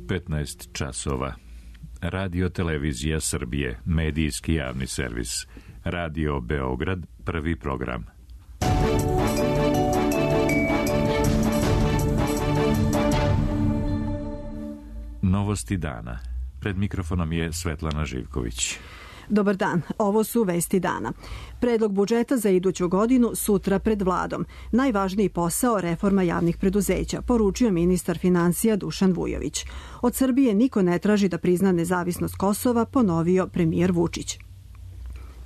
15 časova. Radio Televizija Srbije, medijski javni servis. Radio Beograd, prvi program. Novosti dana. Pred mikrofonom je Svetlana Živković. Dobar dan, ovo su vesti dana. Predlog budžeta za iduću godinu sutra pred vladom. Najvažniji posao reforma javnih preduzeća, poručio ministar finansija Dušan Vujović. Od Srbije niko ne traži da prizna nezavisnost Kosova, ponovio premijer Vučić.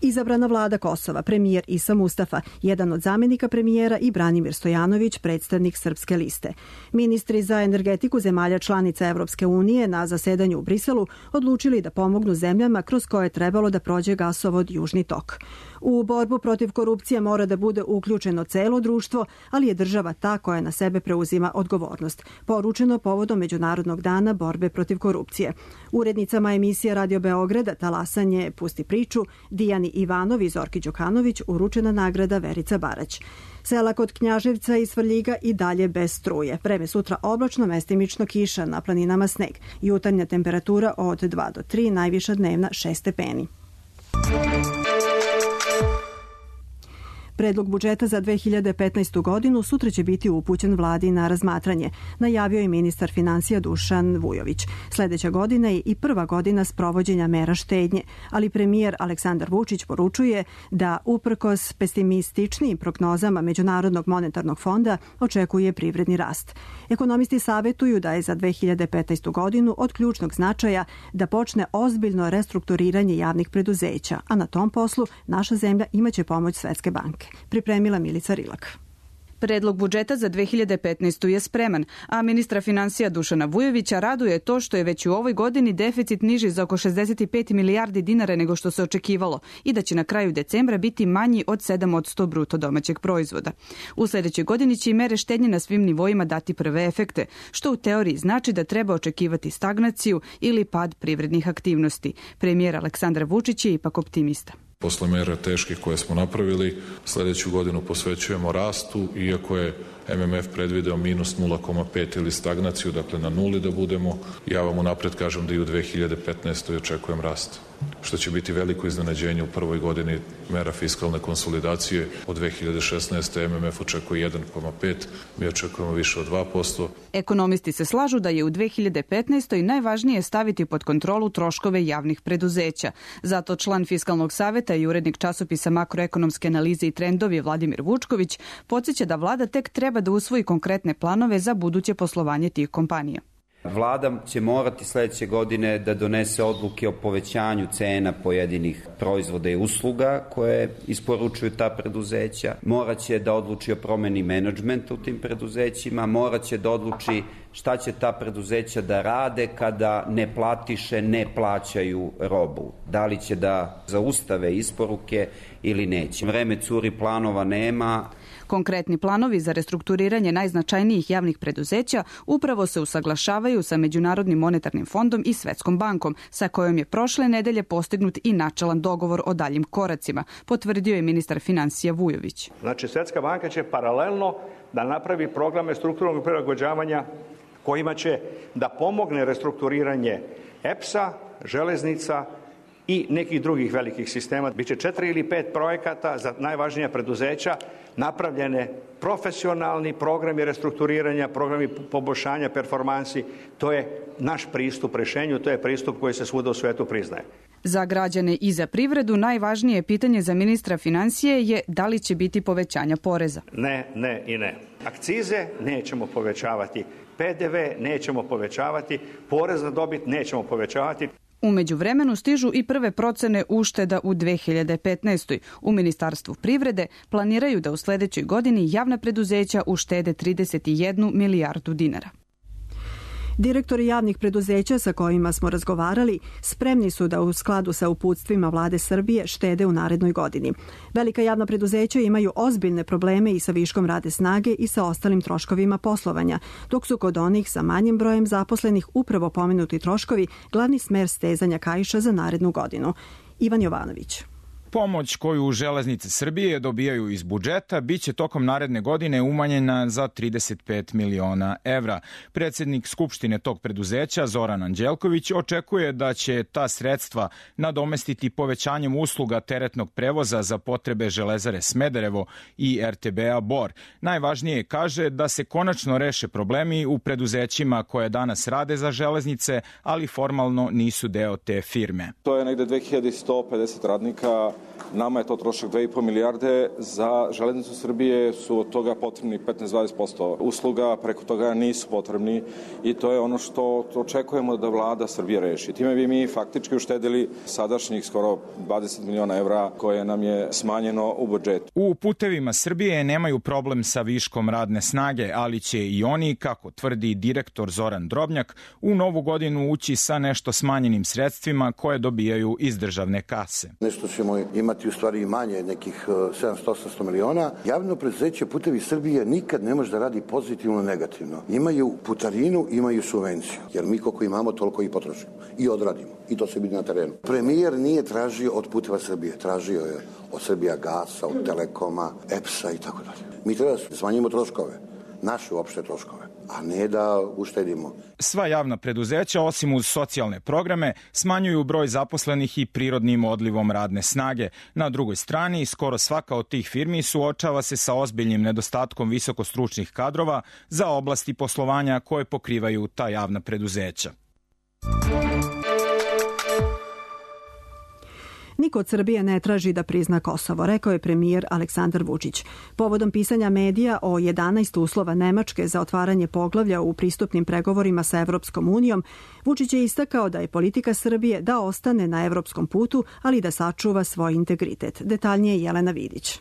Izabrana vlada Kosova, premijer Isa Mustafa, jedan od zamenika premijera i Branimir Stojanović, predstavnik Srpske liste. Ministri za energetiku zemalja članica Evropske unije na zasedanju u Briselu odlučili da pomognu zemljama kroz koje je trebalo da prođe gasovod Južni tok. U borbu protiv korupcije mora da bude uključeno celo društvo, ali je država ta koja na sebe preuzima odgovornost. Poručeno povodom Međunarodnog dana borbe protiv korupcije. Urednicama emisije Radio Beograda Talasanje Pusti priču, Dijani Ivanov i Zorki Đukanović uručena nagrada Verica Barać. Sela kod Knjaževca i Svrljiga i dalje bez struje. Vreme sutra oblačno, mestimično kiša, na planinama sneg. Jutarnja temperatura od 2 do 3, najviša dnevna 6 stepeni. Predlog budžeta za 2015. godinu sutra će biti upućen vladi na razmatranje, najavio je ministar finansija Dušan Vujović. Sledeća godina je i prva godina sprovođenja mera štednje, ali premijer Aleksandar Vučić poručuje da uprkos pesimističnim prognozama Međunarodnog monetarnog fonda očekuje privredni rast. Ekonomisti savetuju da je za 2015. godinu od ključnog značaja da počne ozbiljno restrukturiranje javnih preduzeća, a na tom poslu naša zemlja imaće pomoć Svetske banke. Pripremila Milica Rilak. Predlog budžeta za 2015. je spreman, a ministra finansija Dušana Vujovića raduje to što je već u ovoj godini deficit niži za oko 65 milijardi dinara nego što se očekivalo i da će na kraju decembra biti manji od 7% bruto domaćeg proizvoda. U sledećoj godini će i mere štednje na svim nivoima dati prve efekte, što u teoriji znači da treba očekivati stagnaciju ili pad privrednih aktivnosti. Premijer Aleksandar Vučić je ipak optimista. Posle mera teških koje smo napravili, sledeću godinu posvećujemo rastu, iako je MMF predvideo minus 0,5 ili stagnaciju, dakle na nuli da budemo. Ja vam unapred kažem da i u 2015. očekujem rast, što će biti veliko iznenađenje u prvoj godini mera fiskalne konsolidacije. Od 2016. MMF očekuje 1,5, mi očekujemo više od 2%. Ekonomisti se slažu da je u 2015. najvažnije staviti pod kontrolu troškove javnih preduzeća. Zato član Fiskalnog saveta i urednik časopisa Makroekonomske analize i trendovi Vladimir Vučković podsjeća da vlada tek treba da usvoji konkretne planove za buduće poslovanje tih kompanija. Vlada će morati sledeće godine da donese odluke o povećanju cena pojedinih proizvoda i usluga koje isporučuju ta preduzeća. Moraće da odluči o promeni menadžmenta u tim preduzećima, moraće da odluči šta će ta preduzeća da rade kada neplatiše ne plaćaju robu. Da li će da zaustave isporuke ili neće. Vreme curi, planova nema. Konkretni planovi za restrukturiranje najznačajnijih javnih preduzeća upravo se usaglašavaju sa Međunarodnim monetarnim fondom i Svetskom bankom, sa kojom je prošle nedelje postignut i načelan dogovor o daljim koracima, potvrdio je ministar finansija Vujović. Znači, Svetska banka će paralelno da napravi programe strukturnog prilagođavanja kojima će da pomogne restrukturiranje EPS-a, železnica i nekih drugih velikih sistema. Biće 4 ili 5 projekata za najvažnija preduzeća, napravljene profesionalni programi restrukturiranja, programi poboljšanja performansi. To je naš pristup rešenju, to je pristup koji se svuda u svetu priznaje. Za građane i za privredu najvažnije pitanje za ministra finansije je da li će biti povećanja poreza. Ne i ne. Akcize nećemo povećavati, PDV nećemo povećavati, porez na dobit nećemo povećavati. U međuvremenu stižu i prve procene ušteda u 2015. U Ministarstvu privrede planiraju da u sledećoj godini javna preduzeća uštede 31 milijardu dinara. Direktori javnih preduzeća sa kojima smo razgovarali spremni su da u skladu sa uputstvima vlade Srbije štede u narednoj godini. Velika javna preduzeća imaju ozbiljne probleme i sa viškom radne snage i sa ostalim troškovima poslovanja, dok su kod onih sa manjim brojem zaposlenih upravo pomenuti troškovi glavni smer stezanja kaiša za narednu godinu. Ivan Jovanović. Pomoć koju Železnice Srbije dobijaju iz budžeta biće tokom naredne godine umanjena za 35 miliona evra. Predsjednik Skupštine tog preduzeća, Zoran Anđelković, očekuje da će ta sredstva nadomestiti povećanjem usluga teretnog prevoza za potrebe Železare Smederevo i RTB-a Bor. Najvažnije kaže da se konačno reše problemi u preduzećima koje danas rade za železnice, ali formalno nisu deo te firme. To je negde 2150 radnika. Nama je to trošak 2,5 milijarde, za Železnicu Srbije su od toga potrebni 15-20% usluga, preko toga nisu potrebni i to je ono što očekujemo da vlada Srbije reši. Time bi mi faktički uštedili sadašnjih skoro 20 miliona evra koje nam je smanjeno u budžetu. U Putevima Srbije nemaju problem sa viškom radne snage, ali će i oni, kako tvrdi direktor Zoran Drobnjak, u novu godinu ući sa nešto smanjenim sredstvima koje dobijaju iz državne kase. Nešto ćemo imati u stvari i manje, nekih 700-800 miliona. Javno preduzeće Putevi Srbije nikad ne može da radi pozitivno negativno. Imaju putarinu, imaju subvenciju. Jer mi koliko imamo, toliko i potrošimo. I odradimo. I to se vidi na terenu. Premijer nije tražio od Puteva Srbije. Tražio je od Srbija Gasa, od Telekoma, EPS-a i tako dalje. Mi treba da smanjimo troškove. Naše uopšte troškove, a ne da uštedimo. Sva javna preduzeća, osim uz socijalne programe, smanjuju broj zaposlenih i prirodnim odlivom radne snage. Na drugoj strani, skoro svaka od tih firmi suočava se sa ozbiljnim nedostatkom visokostručnih kadrova za oblasti poslovanja koje pokrivaju ta javna preduzeća. Niko od Srbije ne traži da prizna Kosovo, rekao je premijer Aleksandar Vučić. Povodom pisanja medija o 11 uslova Nemačke za otvaranje poglavlja u pristupnim pregovorima sa Evropskom unijom, Vučić je istakao da je politika Srbije da ostane na evropskom putu, ali da sačuva svoj integritet. Detaljnije Jelena Vidić.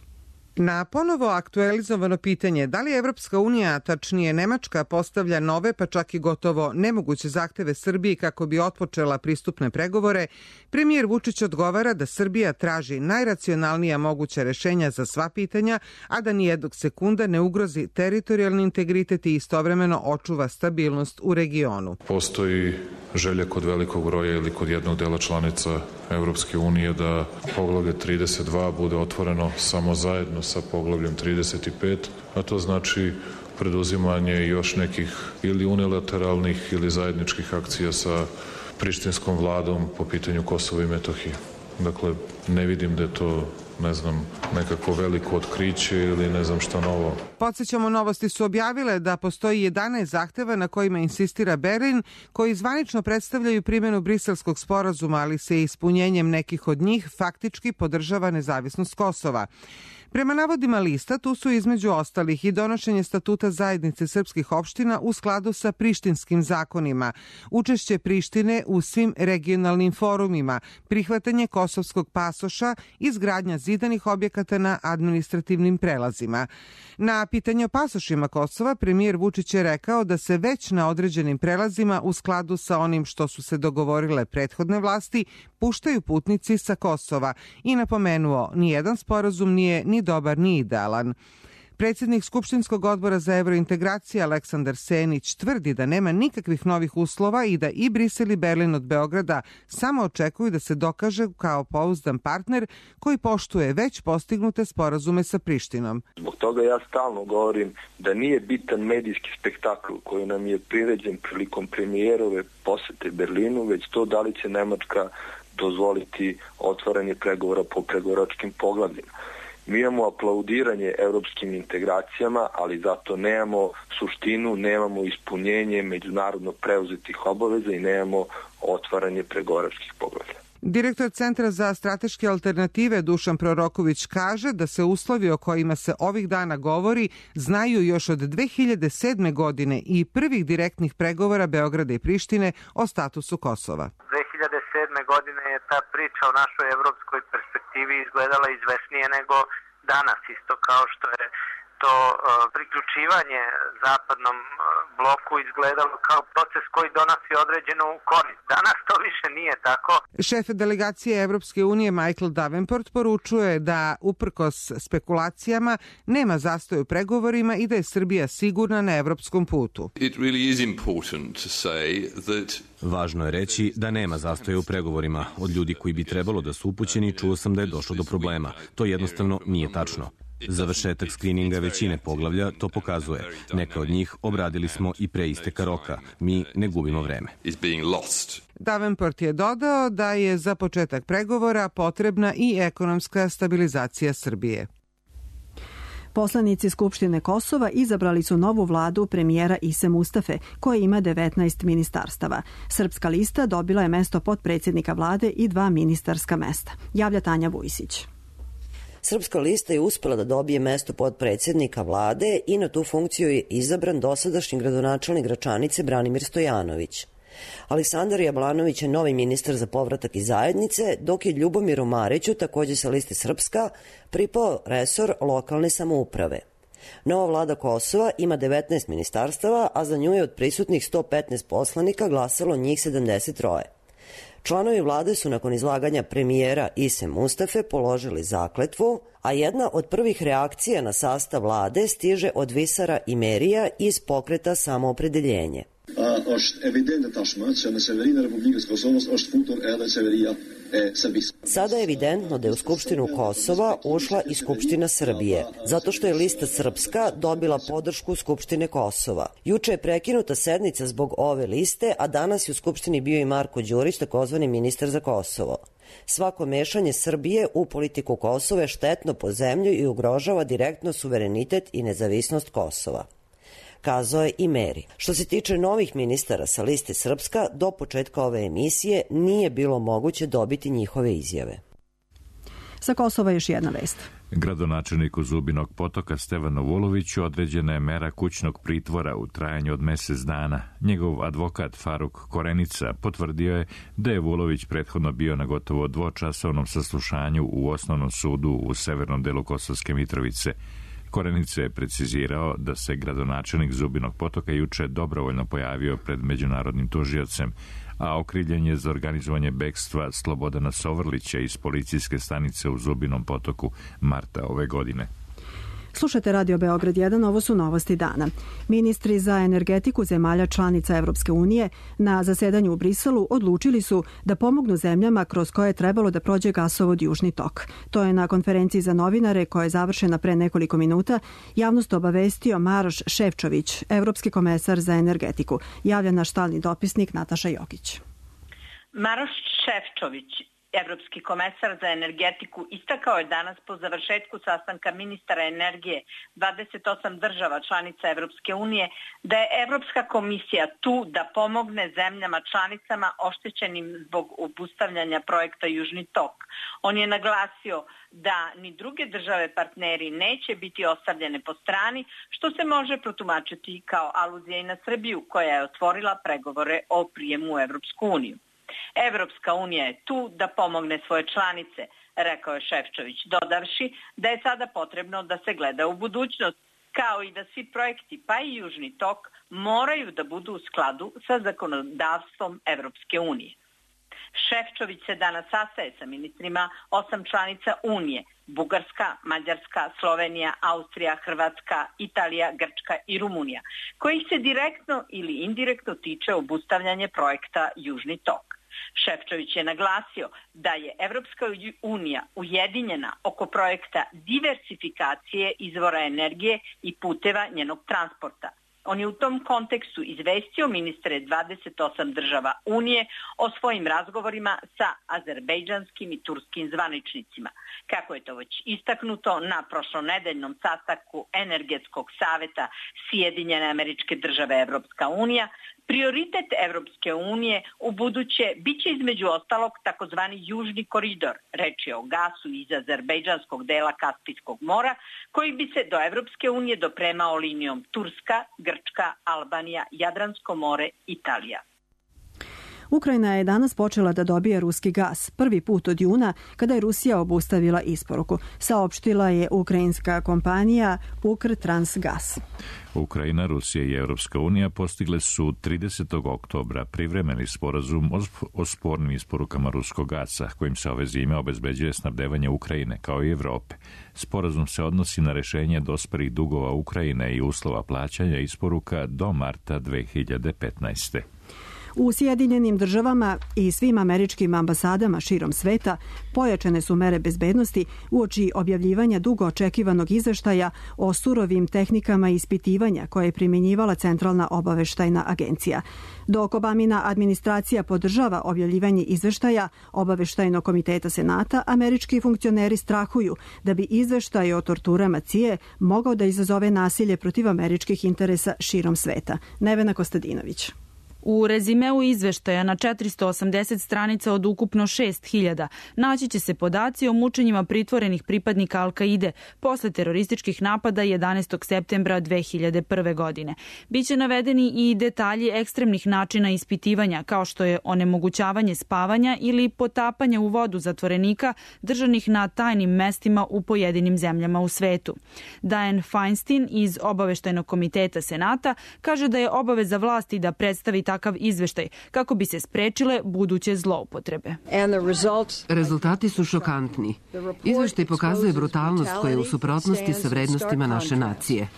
Na ponovo aktualizovano pitanje da li Evropska unija, tačnije Nemačka, postavlja nove pa čak i gotovo nemoguće zahteve Srbiji kako bi otpočela pristupne pregovore, premijer Vučić odgovara da Srbija traži najracionalnija moguća rešenja za sva pitanja, a da nijednog sekunda ne ugrozi teritorijalni integritet i istovremeno očuva stabilnost u regionu. Postoji želja kod velikog broja ili kod jednog dela članica Evropske unije da poglavlje 32 bude otvoreno samo zajedno sa poglavljem 35, a to znači preduzimanje još nekih ili unilateralnih ili zajedničkih akcija sa prištinskom vladom po pitanju Kosova i Metohije. Dakle, ne vidim da je to nekakvo veliko otkriće ili ne znam šta novo. Podsjećamo, Novosti su objavile da postoji 11 zahteva na kojima insistira Berlin, koji zvanično predstavljaju primjenu Briselskog sporazuma, ali se ispunjenjem nekih od njih faktički podržava nezavisnost Kosova. Prema navodima lista, tu su između ostalih i donošenje statuta zajednice srpskih opština u skladu sa prištinskim zakonima, učešće Prištine u svim regionalnim forumima, prihvatanje kosovskog pasoša, izgradnja zidanih objekata na administrativnim prelazima. Na pitanje o pasošima Kosova, premijer Vučić je rekao da se već na određenim prelazima u skladu sa onim što su se dogovorile prethodne vlasti puštaju putnici sa Kosova i napomenuo nijedan sporazum nije ni dobar ni idealan. Predsjednik Skupštinskog odbora za evrointegracije Aleksandar Senić tvrdi da nema nikakvih novih uslova i da i Brisel i Berlin od Beograda samo očekuju da se dokaže kao pouzdan partner koji poštuje već postignute sporazume sa Prištinom. Zbog toga ja stalno govorim da nije bitan medijski spektakl koji nam je priređen prilikom premijerove posete Berlinu, već to da li će Nemačka dozvoliti otvaranje pregovora po pregovaračkim poglavljima. Mi imamo aplaudiranje evropskim integracijama, ali zato nemamo suštinu, nemamo ispunjenje međunarodno preuzetih obaveza i nemamo otvaranje pregovaračkih poglavlja. Direktor Centra za strateške alternative Dušan Proroković kaže da se uslovi o kojima se ovih dana govori znaju još od 2007. godine i prvih direktnih pregovora Beograda i Prištine o statusu Kosova. 2007. godine je ta priča o našoj evropskoj perspektivi izgledala izvesnije nego danas, isto kao što je to priključivanje zapadnom bloku izgledalo kao proces koji donosi određenu korist. Danas to više nije tako. Šef delegacije Evropske unije Michael Davenport poručuje da uprkos spekulacijama nema zastoja u pregovorima i da je Srbija sigurna na evropskom putu. Važno je reći da nema zastoja u pregovorima. Od ljudi koji bi trebalo da su upućeni čuo sam da je došlo do problema. To jednostavno nije tačno. Završetak skrininga većine poglavlja to pokazuje. Neka od njih obradili smo i pre isteka roka. Mi ne gubimo vreme. Davenport je dodao da je za početak pregovora potrebna i ekonomska stabilizacija Srbije. Poslanici Skupštine Kosova izabrali su novu vladu premijera Ise Mustafe, koja ima 19 ministarstava. Srpska lista dobila je mesto potpredsjednika vlade i 2 ministarska mesta. Javlja Tanja Vujsić. Srpska lista je uspela da dobije mesto potpredsjednika vlade i na tu funkciju je izabran dosadašnji gradonačelnik Gračanice Branimir Stojanović. Aleksandar Jablanović je novi ministar za povratak i zajednice, dok je Ljubomiru Mariću, takođe sa liste Srpska, pripao resor lokalne samouprave. Nova vlada Kosova ima 19 ministarstava, a za nju je od prisutnih 115 poslanika glasalo njih 73. Članovi vlade su nakon izlaganja premijera Ise Mustafe položili zakletvu, a jedna od prvih reakcija na sastav vlade stiže od Visara Imerija iz pokreta Samoopredeljenje. Sada je evidentno da je u Skupštinu Kosova ušla i Skupština Srbije, zato što je lista Srpska dobila podršku Skupštine Kosova. Juče je prekinuta sednica zbog ove liste, a danas je u Skupštini bio i Marko Đurić, takozvani ministar za Kosovo. Svako mešanje Srbije u politiku Kosova je štetno po zemlju i ugrožava direktno suverenitet i nezavisnost Kosova, kazao je i Meri. Što se tiče novih ministara sa liste Srpska, do početka ove emisije nije bilo moguće dobiti njihove izjave. Sa Kosova još jedna vest. Gradonačelniku Zubinog Potoka Stevanu Vuloviću određena je mera kućnog pritvora u trajanju od mesec dana. Njegov advokat Faruk Korenica potvrdio je da je Vulović prethodno bio na gotovo dvočasovnom saslušanju u osnovnom sudu u severnom delu Kosovske Mitrovice. Korenica je precizirao da se gradonačelnik Zubinog Potoka juče dobrovoljno pojavio pred međunarodnim tužiocem, a okrivljen je za organizovanje bekstva Slobodana Sovrlića iz policijske stanice u Zubinom Potoku marta ove godine. Slušate Radio Beograd 1, ovo su novosti dana. Ministri za energetiku zemalja članica Evropske unije na zasedanju u Briselu odlučili su da pomognu zemljama kroz koje je trebalo da prođe gasovod Južni tok. To je na konferenciji za novinare koja je završena pre nekoliko minuta javnost obavestio Maroš Šefčović, evropski komesar za energetiku. Javlja naš stalni dopisnik Nataša Jokić. Maroš Šefčović, evropski komesar za energetiku, istakao je danas po završetku sastanka ministara energije 28 država članica Evropske unije da je Evropska komisija tu da pomogne zemljama članicama oštećenim zbog obustavljanja projekta Južni tok. On je naglasio da ni druge države partneri neće biti ostavljene po strani, što se može protumačiti kao aluzija i na Srbiju, koja je otvorila pregovore o prijemu u Evropsku uniju. Evropska unija je tu da pomogne svoje članice, rekao je Šefčović, dodavši da je sada potrebno da se gleda u budućnost, kao i da svi projekti, pa i Južni tok, moraju da budu u skladu sa zakonodavstvom Evropske unije. Šefčović se danas sastaje sa ministrima 8 članica Unije, Bugarska, Mađarska, Slovenija, Austrija, Hrvatska, Italija, Grčka i Rumunija, kojih se direktno ili indirektno tiče obustavljanje projekta Južni tok. Šefčović je naglasio da je Evropska unija ujedinjena oko projekta diversifikacije izvora energije i puteva njenog transporta. On je u tom kontekstu izvestio ministre 28 država Unije o svojim razgovorima sa azerbejdžanskim i turskim zvaničnicima. Kako je to već istaknuto na prošlonedeljnom sastanku Energetskog saveta Sjedinjene Američke Države Evropska unija, prioritet Evropske unije u buduće biće između ostalog takozvani Južni koridor, reč je o gasu iz azerbejdžanskog dela Kaspijskog mora, koji bi se do Evropske unije dopremao linijom Turska, Grčka, Albanija, Jadransko more, Italija. Ukrajina je danas počela da dobija ruski gas, prvi put od juna kada je Rusija obustavila isporuku, saopštila je ukrajinska kompanija Ukrtransgas. Ukrajina, Rusija i Evropska unija postigle su 30. oktobra privremeni sporazum o spornim isporukama ruskog gasa, kojim se ove zime obezbeđuje snabdevanje Ukrajine, kao i Evrope. Sporazum se odnosi na rešenje dospelih dugova Ukrajine i uslova plaćanja isporuka do marta 2015. U Sjedinjenim državama i svim američkim ambasadama širom sveta pojačane su mere bezbednosti uoči objavljivanja dugo očekivanog izveštaja o surovim tehnikama ispitivanja koje je primjenjivala Centralna obaveštajna agencija. Dok Obamina administracija podržava objavljivanje izveštaja Obaveštajnog komiteta Senata, američki funkcioneri strahuju da bi izveštaj o torturama CIA mogao da izazove nasilje protiv američkih interesa širom sveta. Nevena Kostadinović. U rezimeu izveštaja na 480 stranica od ukupno 6000 naći će se podaci o mučenjima pritvorenih pripadnika Al-Kaide posle terorističkih napada 11. septembra 2001. godine. Biće navedeni i detalji ekstremnih načina ispitivanja, kao što je onemogućavanje spavanja ili potapanje u vodu zatvorenika držanih na tajnim mestima u pojedinim zemljama u svetu. Dianne Feinstein iz Obaveštajnog komiteta Senata kaže da je obaveza vlasti da predstavi takav izveštaj kako bi se sprečile buduće zloupotrebe. Rezultati su šokantni. Izveštaj pokazuje brutalnost koja je u suprotnosti sa vrednostima naše nacije.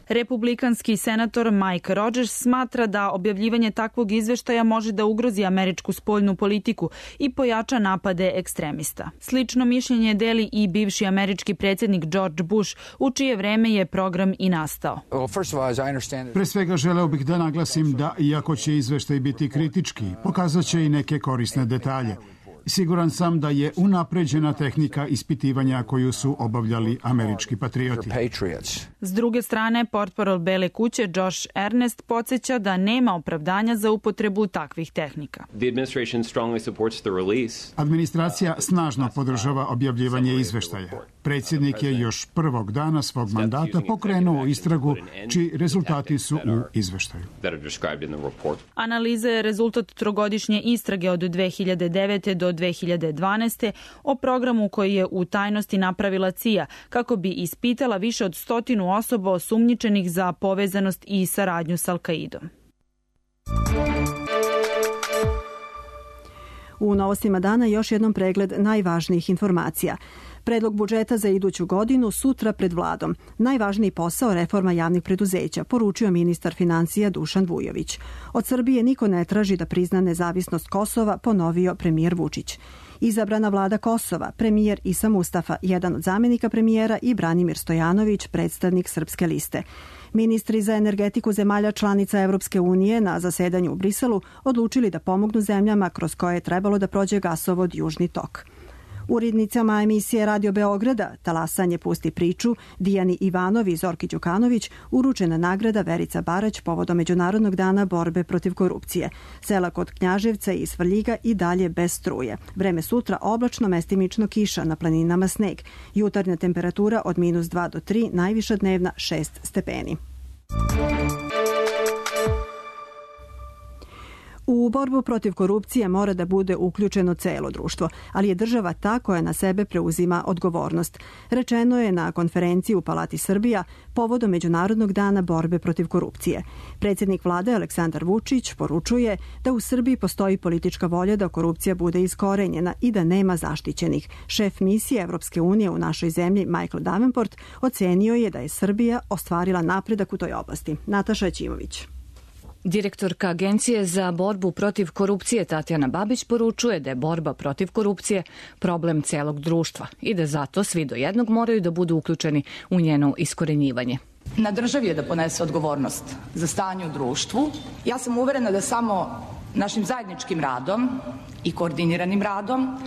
Republikanski senator Mike Rogers smatra da objavljivanje takvog izveštaja može da ugrozi američku spoljnu politiku i pojača napade ekstremista. Slično mišljenje deli i bivši američki predsjednik George Bush, u čije vreme je program i nastao. Pre svega želeo bih da naglasim da, iako će izveštaj biti kritički, pokazat će i neke korisne detalje. Siguran sam da je unapređena tehnika ispitivanja koju su obavljali američki patrioti. S druge strane, portparol Bele kuće Josh Earnest podsjeća da nema opravdanja za upotrebu takvih tehnika. Administracija snažno podržava objavljivanje izveštaja. Predsjednik je još prvog dana svog mandata pokrenuo istragu čiji rezultati su u izveštaju. Analiza je rezultat trogodišnje istrage od 2009. do 2012. o programu koji je u tajnosti napravila CIA kako bi ispitala više od 100 osoba osumnjičenih za povezanost i saradnju s Al-Kaidom. U novostima dana još jednom pregled najvažnijih informacija. Predlog budžeta za iduću godinu sutra pred vladom. Najvažniji posao reforma javnih preduzeća, poručio ministar financija Dušan Vujović. Od Srbije niko ne traži da prizna nezavisnost Kosova, ponovio premijer Vučić. Izabrana vlada Kosova, premijer Isa Mustafa, jedan od zamenika premijera, i Branimir Stojanović, predstavnik Srpske liste. Ministri za energetiku zemalja članica Evropske unije na zasedanju u Briselu odlučili da pomognu zemljama kroz koje je trebalo da prođe gasovod Južni tok. Urednicama emisije Radio Beograda Talasanje pusti priču, Dijani Ivanovi i Zorki Đukanović uručena nagrada Verica Barać povodom Međunarodnog dana borbe protiv korupcije. Sela kod Knjaževca i Svrljiga i dalje bez struje. Vreme sutra oblačno, mestimično kiša, na planinama sneg. Jutarnja temperatura od -2 do 3, najviša dnevna 6 stepeni. U borbu protiv korupcije mora da bude uključeno celo društvo, ali je država ta koja na sebe preuzima odgovornost. Rečeno je na konferenciji u Palati Srbija povodom Međunarodnog dana borbe protiv korupcije. Predsjednik vlade Aleksandar Vučić poručuje da u Srbiji postoji politička volja da korupcija bude iskorenjena i da nema zaštićenih. Šef misije Evropske unije u našoj zemlji Michael Davenport ocenio je da je Srbija ostvarila napredak u toj oblasti. Nataša Ćimović. Direktorka Agencije za borbu protiv korupcije Tatjana Babić poručuje da je borba protiv korupcije problem celog društva i da zato svi do jednog moraju da budu uključeni u njeno iskorenjivanje. Na državi je da ponese odgovornost za stanje u društvu. Ja sam uverena da samo našim zajedničkim radom i koordiniranim radom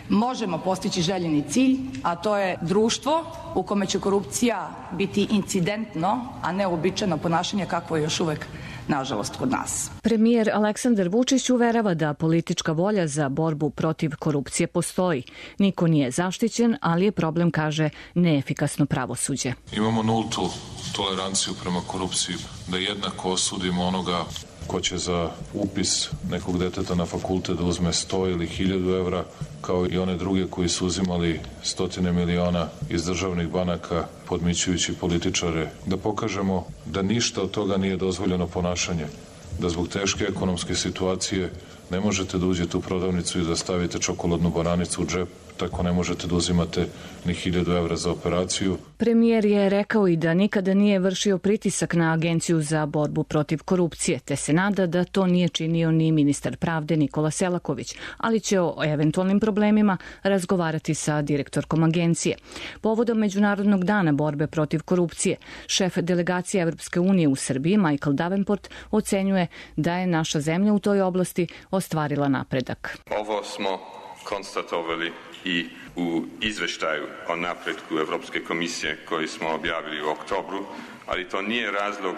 možemo postići željeni cilj, a to je društvo u kome će korupcija biti incidentno, a ne uobičajeno ponašanje kakvo je još uvek nažalost kod nas. Premijer Aleksandar Vučić uverava da politička volja za borbu protiv korupcije postoji. Niko nije zaštićen, ali je problem, kaže, neefikasno pravosuđe. Imamo nultu toleranciju prema korupciji, da jednako osudimo onoga ko će za upis nekog deteta na fakultet da uzme 100 ili 1000 evra, kao i one druge koji su uzimali stotine miliona iz državnih banaka podmićujući političare, da pokažemo da ništa od toga nije dozvoljeno ponašanje, da zbog teške ekonomske situacije ne možete da uđete u prodavnicu i da stavite čokoladnu bananicu u džep, tako ne možete da uzimate ni 1000 evra za operaciju. Premijer je rekao i da nikada nije vršio pritisak na Agenciju za borbu protiv korupcije, te se nada da to nije činio ni ministar pravde Nikola Selaković, ali će o eventualnim problemima razgovarati sa direktorkom agencije. Povodom Međunarodnog dana borbe protiv korupcije, šef delegacije Evropske unije u Srbiji, Michael Davenport, ocenjuje da je naša zemlja u toj oblasti ostvarila napredak. Ovo smo konstatovali i u izveštaju o napretku Evropske komisije koji smo objavili u oktobru, ali to nije razlog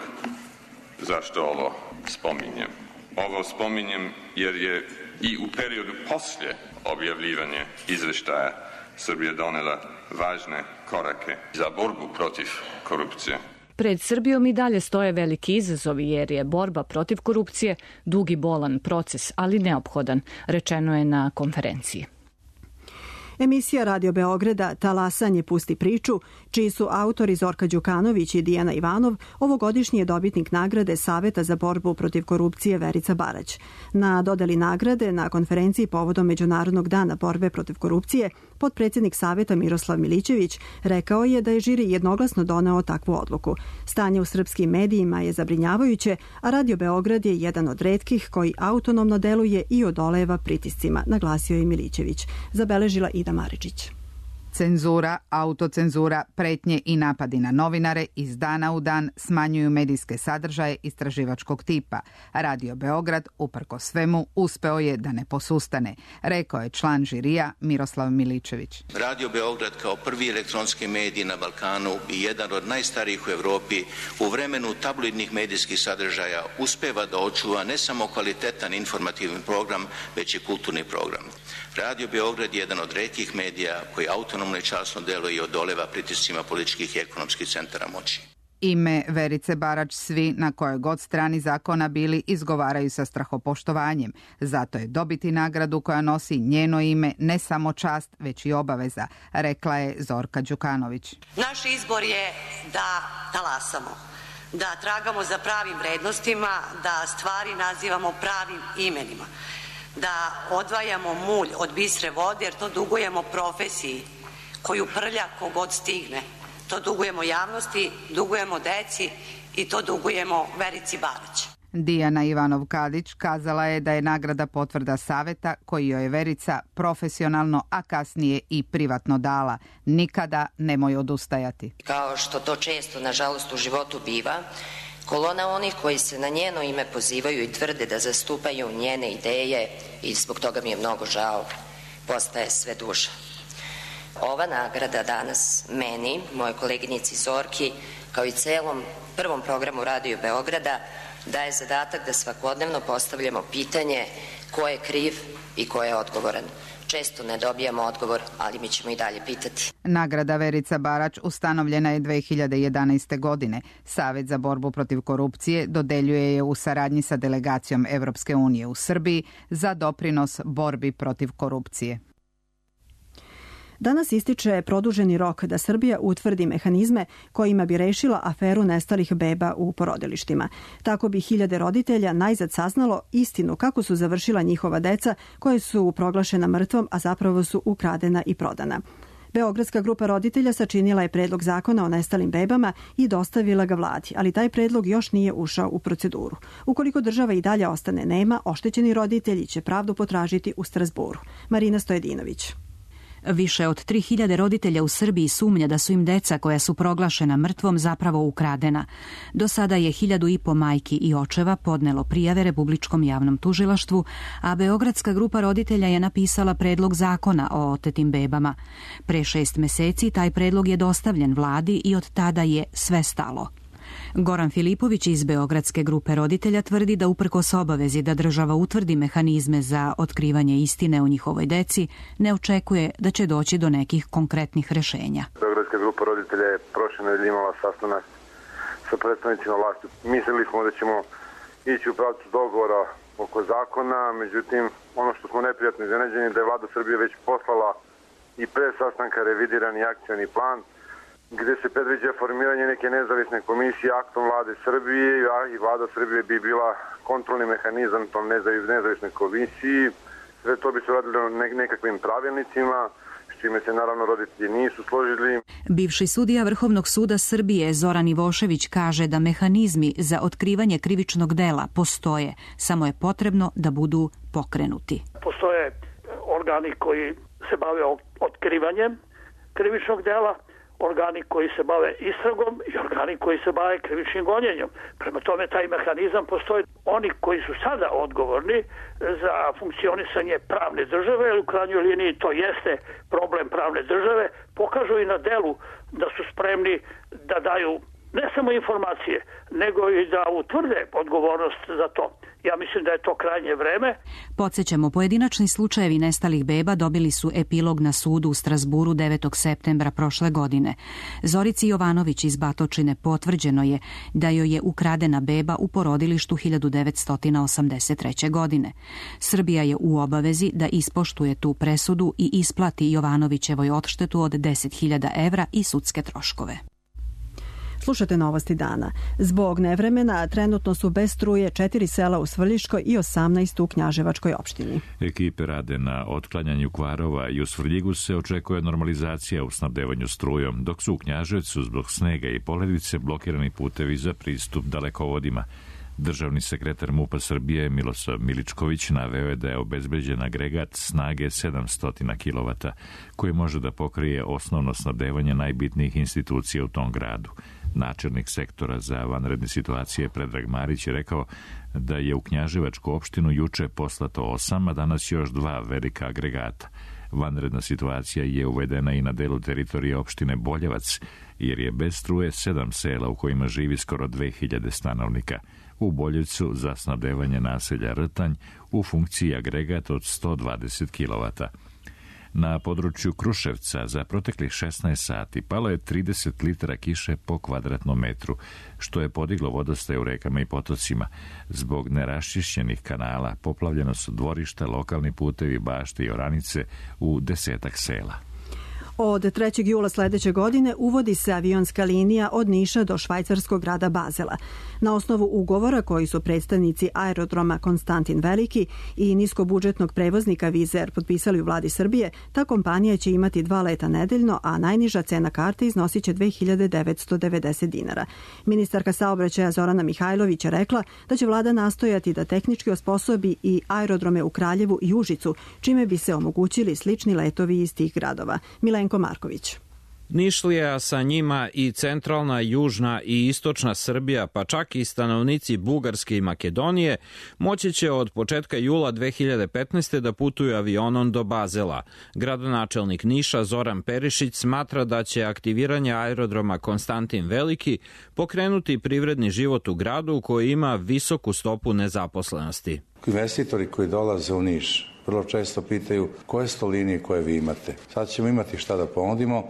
zašto ovo spominjem. Ovo spominjem jer je i u periodu poslije objavljivanja izveštaja Srbija donela važne korake za borbu protiv korupcije. Pred Srbijom i dalje stoje veliki izazovi jer je borba protiv korupcije dug i bolan proces, ali neophodan, rečeno je na konferenciji. Emisija Radio Beograda Talasanje pusti priču, čiji su autori Zorka Đukanović i Dijana Ivanov, ovogodišnji je dobitnik nagrade Saveta za borbu protiv korupcije Verica Barać. Na dodeli nagrade na konferenciji povodom Međunarodnog dana borbe protiv korupcije, potpredsjednik Saveta Miroslav Milićević rekao je da je žiri jednoglasno doneo takvu odluku. Stanje u srpskim medijima je zabrinjavajuće, a Radio Beograd je jedan od retkih koji autonomno deluje i odoleva pritiscima, naglasio je Milićević. Zabeležila Ida Maričić. Cenzura, autocenzura, pretnje i napadi na novinare iz dana u dan smanjuju medijske sadržaje istraživačkog tipa. Radio Beograd, uprkos svemu, uspeo je da ne posustane, rekao je član žirija Miroslav Milićević. Radio Beograd kao prvi elektronski medij na Balkanu i jedan od najstarijih u Evropi u vremenu tabloidnih medijskih sadržaja uspeva da očuva ne samo kvalitetan informativni program, već i kulturni program. Radio Beograd je jedan od retkih medija koji autonomno i časno deluje i odoleva pritiscima političkih i ekonomskih centara moći. Ime Verice Barać svi na kojoj god strani zakona bili izgovaraju sa strahopoštovanjem. Zato je dobiti nagradu koja nosi njeno ime ne samo čast, već i obaveza, rekla je Zorka Đukanović. Naš izbor je da talasamo, da tragamo za pravim vrednostima, da stvari nazivamo pravim imenima, da odvajamo mulj od bistre vode, jer to dugujemo profesiji koju prlja kogod stigne. To dugujemo javnosti, dugujemo deci i to dugujemo Verici Barać. Dijana Ivanov-Kadić kazala je da je nagrada potvrda saveta koji joj je Verica profesionalno, a kasnije i privatno dala. Nikada nemoj odustajati. Kao što to često, nažalost, u životu biva, kolona onih koji se na njeno ime pozivaju i tvrde da zastupaju njene ideje, i zbog toga mi je mnogo žao, postaje sve duža. Ova nagrada danas meni, moje koleginici Zorki, kao i celom prvom programu Radio Beograda, daje zadatak da svakodnevno postavljamo pitanje ko je kriv i ko je odgovoran. Često ne dobijamo odgovor, ali mi ćemo i dalje pitati. Nagrada Verica Barać ustanovljena je 2011. godine. Savet za borbu protiv korupcije dodeljuje je u saradnji sa delegacijom Evropske unije u Srbiji za doprinos borbi protiv korupcije. Danas ističe produženi rok da Srbija utvrdi mehanizme kojima bi rešila aferu nestalih beba u porodilištima. Tako bi hiljade roditelja najzad saznalo istinu kako su završila njihova deca koje su proglašena mrtvom, a zapravo su ukradena i prodana. Beogradska grupa roditelja sačinila je predlog zakona o nestalim bebama i dostavila ga vladi, ali taj predlog još nije ušao u proceduru. Ukoliko država i dalje ostane nema, oštećeni roditelji će pravdu potražiti u Strazburu. Marina Stojedinović. Više od 3000 roditelja u Srbiji sumnja da su im deca koja su proglašena mrtvom zapravo ukradena. Do sada je 1500 majki i očeva podnelo prijave Republičkom javnom tužilaštvu, a Beogradska grupa roditelja je napisala predlog zakona o otetim bebama. Pre 6 meseci taj predlog je dostavljen vladi i od tada je sve stalo. Goran Filipović iz Beogradske grupe roditelja tvrdi da uprkos obavezi da država utvrdi mehanizme za otkrivanje istine o njihovoj deci, ne očekuje da će doći do nekih konkretnih rešenja. Beogradska grupa roditelja je prošle nedelje imala sastanak sa predstavnicima vlasti. Mislili smo da ćemo ići u pravcu dogovora oko zakona, međutim ono što smo neprijatno iznenađeni da je vlada Srbije već poslala i pre sastanka revidirani akcioni plan gde se predviđa formiranje neke nezavisne komisije aktom vlade Srbije, a i vlada Srbije bi bila kontrolni mehanizam tom nezavisnoj komisiji. Sve to bi se radilo nekakvim pravilnicima, s čime se naravno roditelji nisu složili. Bivši sudija Vrhovnog suda Srbije Zoran Ivošević kaže da mehanizmi za otkrivanje krivičnog dela postoje, samo je potrebno da budu pokrenuti. Postoje organi koji se bave otkrivanjem krivičnog dela, organi koji se bave istragom i organi koji se bave krivičnim gonjenjem. Prema tome taj mehanizam postoji. Oni koji su sada odgovorni za funkcionisanje pravne države, u krajnjoj liniji to jeste problem pravne države, pokažu i na delu da su spremni da daju ne samo informacije, nego i da utvrde odgovornost za to. Ja mislim da je to krajnje vreme. Podsjećamo, pojedinačni slučajevi nestalih beba dobili su epilog na sudu u Strazburu 9. septembra prošle godine. Zorici Jovanović iz Batočine potvrđeno je da joj je ukradena beba u porodilištu 1983. godine. Srbija je u obavezi da ispoštuje tu presudu i isplati Jovanovićevoj odštetu od 10.000 evra i sudske troškove. Slušate novosti dana. Zbog nevremena trenutno su bez struje 4 sela u Svrljiškoj i 18 u Knjaževačkoj opštini. Ekipe rade na otklanjanju kvarova i u Svrljigu se očekuje normalizacija u snabdevanju strujom, dok su u Knjaževcu zbog snega i poledice blokirani putevi za pristup dalekovodima. Državni sekretar MUP-a Srbije Milosav Miličković naveo je da je obezbeđen agregat snage 700 kW koji može da pokrije osnovno snabdevanje najbitnijih institucija u tom gradu. Načelnik sektora za vanredne situacije Predrag Marić je rekao da je u Knjaževačku opštinu juče poslato 8, a danas još 2 velika agregata. Vanredna situacija je uvedena i na delu teritorije opštine Boljevac, jer je bez struje 7 sela u kojima živi skoro 2000 stanovnika. U Boljevcu za snabdevanje naselja Rtanj u funkciji agregat od 120 kW. Na području Kruševca za proteklih 16 sati palo je 30 litara kiše po kvadratnom metru, što je podiglo vodostaj u rekama i potocima. Zbog neraščišćenih kanala poplavljeno su dvorišta, lokalni putevi, bašte i oranice u 10-ak sela. Od 3. jula sledeće godine uvodi se avionska linija od Niša do švajcarskog grada Bazela. Na osnovu ugovora koji su predstavnici aerodroma Konstantin Veliki i niskobudžetnog prevoznika Wizz Air potpisali u vladi Srbije, ta kompanija će imati 2 leta nedeljno, a najniža cena karte iznosit će 2.990 dinara. Ministarka saobraćaja Zorana Mihajlović je rekla da će vlada nastojati da tehnički osposobi i aerodrome u Kraljevu i Užicu, čime bi se omogućili slični letovi iz tih gradova. Milenko Marković. Nišlija, sa njima i centralna, južna i istočna Srbija, pa čak i stanovnici Bugarske i Makedonije, moći će od početka jula 2015. da putuju avionom do Bazela. Gradonačelnik Niša Zoran Perišić smatra da će aktiviranje aerodroma Konstantin Veliki pokrenuti privredni život u gradu koji ima visoku stopu nezaposlenosti. Investitori koji dolaze u Niš vrlo često pitaju koje su to linije koje vi imate. Sad ćemo imati šta da ponudimo.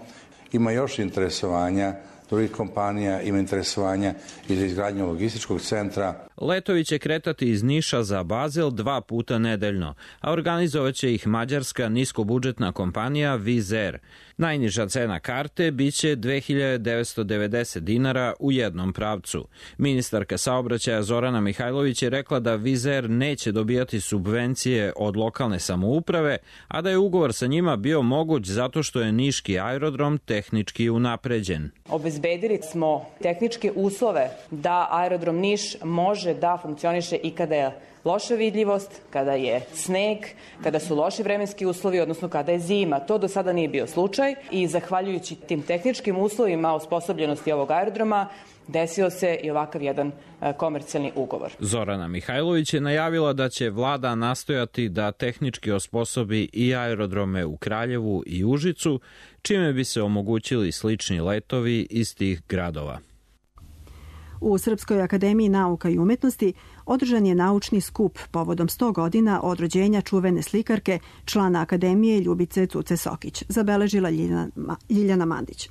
Ima još interesovanja drugih kompanija, ima interesovanja i za izgradnju logističkog centra. Letovi će kretati iz Niša za Bazel 2 puta nedeljno, a organizovaće ih mađarska niskobudžetna kompanija Wizz Air. Najniža cena karte biće 2.990 dinara u jednom pravcu. Ministarka saobraćaja Zorana Mihajlović je rekla da Wizz Air neće dobijati subvencije od lokalne samouprave, a da je ugovor sa njima bio moguć zato što je niški aerodrom tehnički unapređen. Obezbedili smo tehničke uslove da aerodrom Niš može da funkcioniše i kada je loša vidljivost, kada je sneg, kada su loši vremenski uslovi, odnosno kada je zima. To do sada nije bio slučaj i zahvaljujući tim tehničkim uslovima osposobljenosti ovog aerodroma desio se i ovakav jedan komercijalni ugovor. Zorana Mihajlović je najavila da će vlada nastojati da tehnički osposobi i aerodrome u Kraljevu i Užicu, čime bi se omogućili slični letovi iz tih gradova. U Srpskoj akademiji nauka i umetnosti održan je naučni skup povodom 100 godina od rođenja čuvene slikarke, člana akademije Ljubice Cuce Sokić, zabeležila Ljiljana Mandić.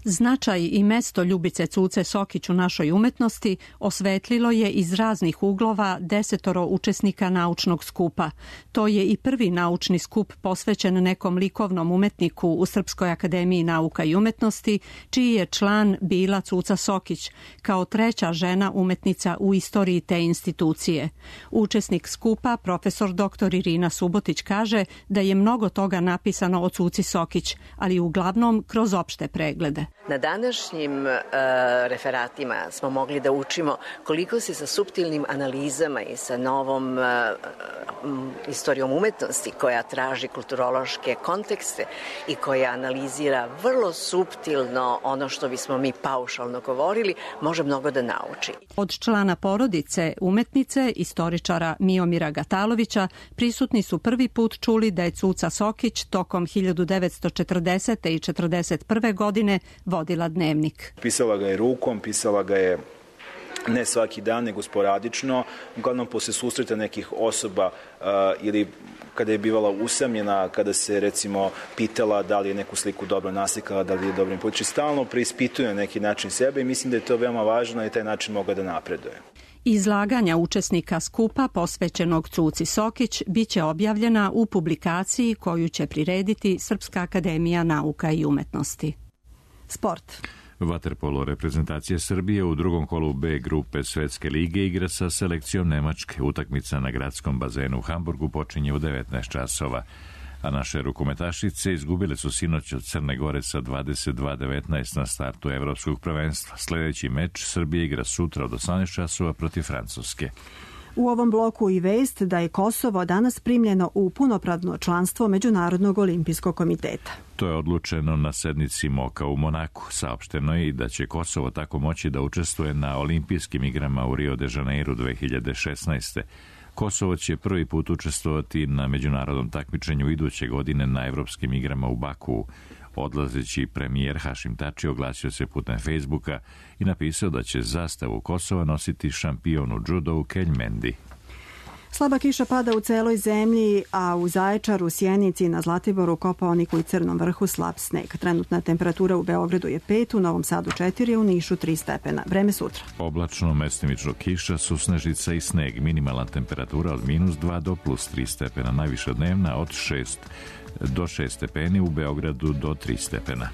Značaj i mesto Ljubice Cuce Sokić u našoj umetnosti osvetlilo je iz raznih uglova 10 učesnika naučnog skupa. To je i prvi naučni skup posvećen nekom likovnom umetniku u Srpskoj akademiji nauka i umetnosti, čiji je član bila Cuca Sokić, kao treća žena umetnica u istoriji te institucije. Učesnik skupa, profesor dr. Irina Subotić, kaže da je mnogo toga napisano o Cuci Sokić, ali uglavnom kroz opšte preglede. Na današnjim referatima smo mogli da učimo koliko se sa suptilnim analizama i sa novom istorijom umetnosti koja traži kulturološke kontekste i koja analizira vrlo suptilno ono što bismo mi paušalno govorili, može mnogo da nauči. Od člana porodice umetnice, istoričara Miomira Gatalovića, prisutni su prvi put čuli da je Cuca Sokić tokom 1940. i 1941. godine vodila dnevnik. Pisala ga je rukom, pisala ga je ne svaki dan, nego sporadično, uglavnom posle susreta nekih osoba ili kada je bivala usamljena, kada se recimo pitala da li je neku sliku dobro naslikala, da li je dobro poći, stalno preispituje na neki način sebe i mislim da je to veoma važno i taj način mogla da napreduje. Izlaganja učesnika skupa posvećenog Cuci Sokić biće objavljena u publikaciji koju će prirediti Srpska akademija nauka i umetnosti. Sport. Vaterpolo reprezentacija Srbije u drugom kolu B grupe Svetske lige igra sa selekcijom Nemačke. Utakmica na gradskom bazenu u Hamburgu počinje u 19 časova. A naše rukometašice izgubile su sinoć od Crne Gore sa 22-19 na startu evropskog prvenstva. Sljedeći meč Srbije igra sutra od 18 časova protiv Francuske. U ovom bloku i vest da je Kosovo danas primljeno u punopravno članstvo Međunarodnog olimpijskog komiteta. To je odlučeno na sednici MOKA u Monaku. Saopšteno je i da će Kosovo tako moći da učestvuje na olimpijskim igrama u Rio de Janeiro 2016. Kosovo će prvi put učestvovati na međunarodnom takmičenju iduće godine na evropskim igrama u Baku. Odlazeći premijer Hašim Tači oglasio se putem Facebooka i napisao da će zastavu Kosova nositi šampion u džudovu Kelj Mendi. Slaba kiša pada u celoj zemlji, a u Zaječaru, Sjenici i na Zlatiboru, Kopaoniku i Crnom Vrhu slab sneg. Trenutna temperatura u Beogradu je 5, u Novom Sadu 4, u Nišu 3 stepena. Vreme sutra. Oblačno, mestimično kiša, susnežica i sneg. Minimalna temperatura od -2 do +3 stepena. Najviša dnevna od 6 do 6 stepeni, u Beogradu do 3 stepena.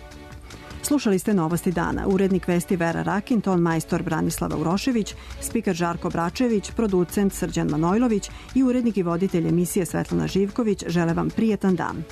Slušali ste Novosti dana. Urednik vesti Vera Rakin, ton majstor Branislava Urošević, spiker Žarko Bračević, producent Srđan Manojlović i urednik i voditelj emisije Svetlana Živković žele vam prijetan dan.